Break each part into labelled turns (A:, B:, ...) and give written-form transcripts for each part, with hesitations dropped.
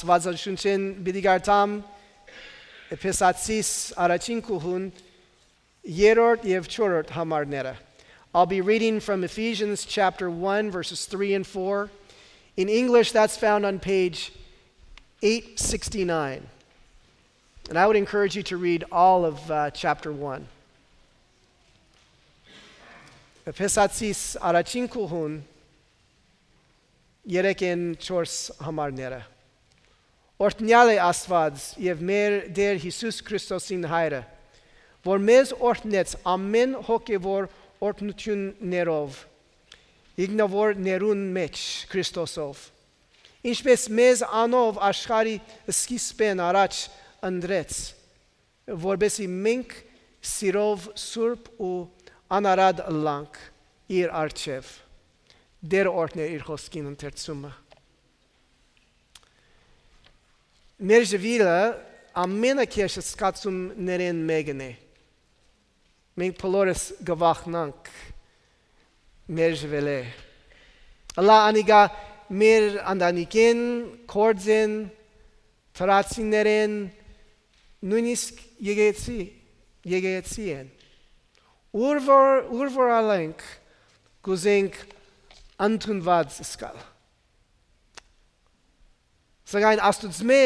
A: Աստվածաշունչեն բիդիգարտամ Էփեսացիս առաջին կուհուն երրորդ եւ չորրորդ համարները. I'll be reading from Ephesians chapter 1 verses 3 and 4. In English that's found on page 869. And I would encourage you to read all of chapter 1. Էփեսացիս առաջին կուհուն երեք են չորս համարները. Օրհնյալ է Աստված եւ մեր Տեր Հիսուս Քրիստոսին Հայրը, որ մեզ օրհնեց ամեն հոգևոր օրհնություններով, իգնավոր ներուն մեջ Քրիստոսով, ինչպես մեզ անով աշխարհի սկիզբեն առաջ ընտրեց, որբեսի մենք սիրով սուրբ ու անարատ լանք իր առջև, Դեր օրհներ իր խոսքին ընթերցումը. Մեր ժվիլը ամենակեշը սկացումներեն մեկն է. Մենք բոլորս գվախնանք մեր ժվել է. Ալա անիգա մեր անդանիկեն, կործեն, թրացիներեն, նույնիսկ եկեցի են. Ուր որ ալենք գուզենք ընդունված սկալ. Սակայն աստուծմե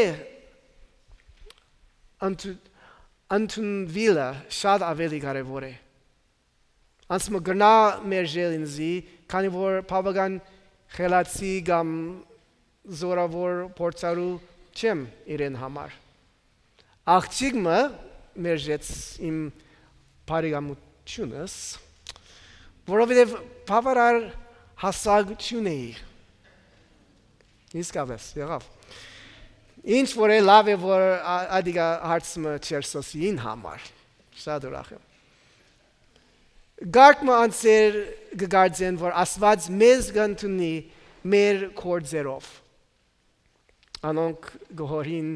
A: ընդունվելը շատ ավելի կարևոր է. Անցմը գրնա մեր ժելինզի, քանի որ բավական խելացի կամ զորավոր փորձարու չեմ իրեն համար. Աղջիկը մեր ժեց իմ բարեկամությունս, որովհետև բավարար հասակ չունեի. Իսկապես, եղավ. Ինչ որ է լավ է, որ ադիգա հարցմը չերսոսին համար. Շատ ուրախ եմ. Գարկմը անցեր գգարձեն, որ Աստված մեզ գնդունի մեր կործերով. Անոնք գհորին,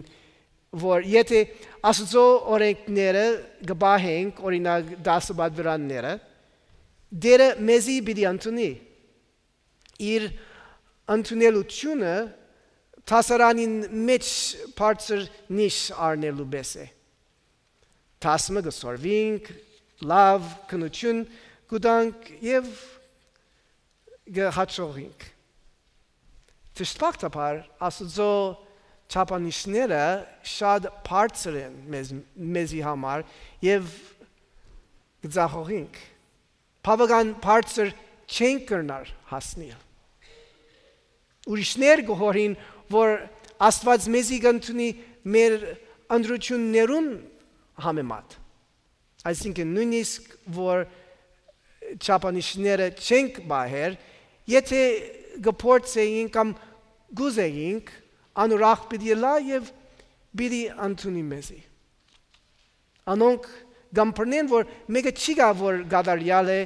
A: որ եթե Աստծո օրենքները գբահենք, օրինակ 10 բադվրանները, Դերը մեզի պիտի ընդունի. Իր ընդունելությունը տասարանին մեջ բարձր նիշ առնելու պես է. Տասմը գսորվինք, լավ քնություն գուտանք եւ գհաճողինք. Դժբախտաբար Աստծո չափանիշները շատ բարձր են մեզի համար եւ գծախողինք. բավական բարձր չենք կրնար հասնել. Ուրիշներ գոհորին, որ Աստված մեզի գնդունի մեր ընդրություններուն համեմատ. Այսինքն նույնիսկ, որ չափանիշները չենք բահեր, եթե գփորձեինք կամ գուզեինք, անուրախ պիտի լա եւ պիտի ընդունի մեզի. Անոնք գամփրնեն, որ մեկը չի գա, որ գադարյալ է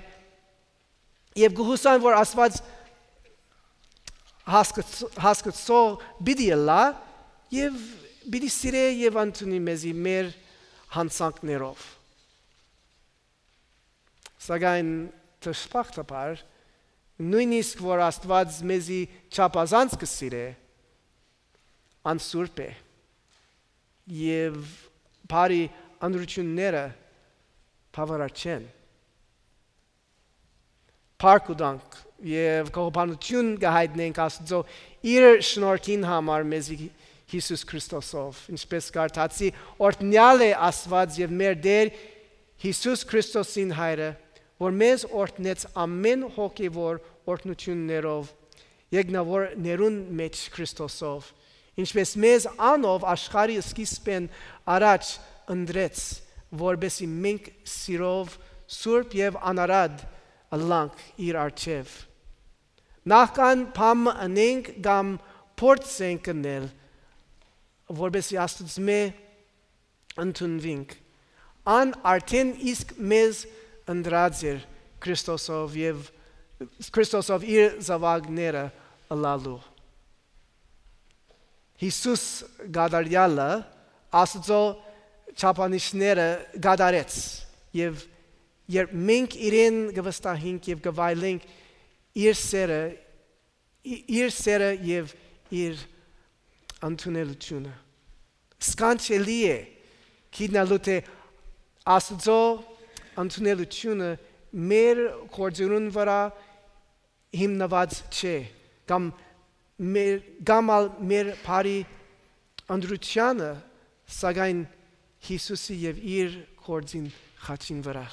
A: եւ գուհուսան, որ Աստված հասկացող պիտի լա եւ պիտի սիրե եւ ընդունի մեզի մեր հանցանքներով. Սակայն դժբախտաբար նույնիսկ որ Աստված մեզի չափազանց կսիրե, անսուրբ է եւ բարի ընդրությունները բավարար չեն. Փառք եւ կողբանություն գահիտնենք Աստծո իր շնորհքին համար մեզի Հիսուս Քրիստոսով, ինչպես կարդացի, օրհնյալ է Աստված եւ մեր Տեր Հիսուս Քրիստոսին Հայրը, որ մեզ օրհնեց ամեն հոգևոր օրհնություններով, իգնավոր ներուն մեջ Քրիստոսով, ինչպես մեզ անով աշխարհի սկիզբեն առաջ ընտրեց, որբեսի մենք սիրով սուրբ եւ անարատ լանք իր առջև. Նախքան փամ անենք կամ փորձենք կնել, որբեսի Աստծմե ընդունվենք. Ան արդեն իսկ մեզ ընտրած էր Քրիստոսով իր զավակները ըլալու. Հիսուս գադարյալը Աստծո չափանիշները գադարեց եւ երբ մենք իրեն գվստահենք եւ գվայելենք իր սերը եւ իր ընդունելությունը։ Սքանչելի է գիտնալու թե Աստծո ընդունելությունը մեր գործերուն վրա հիմնված չէ, կամ մեր բարի ընդրությանը, սակայն Հիսուսի եւ իր գործին խաչին վրա։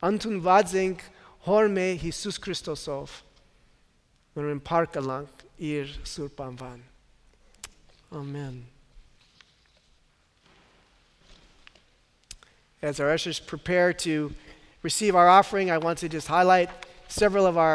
A: Ընդունված ենք հոր մեր Հիսուս Քրիստոսով, որն փառքանք իր սուրբ անվան։ Amen. As our ushers prepare to receive our offering, I want to just highlight several of our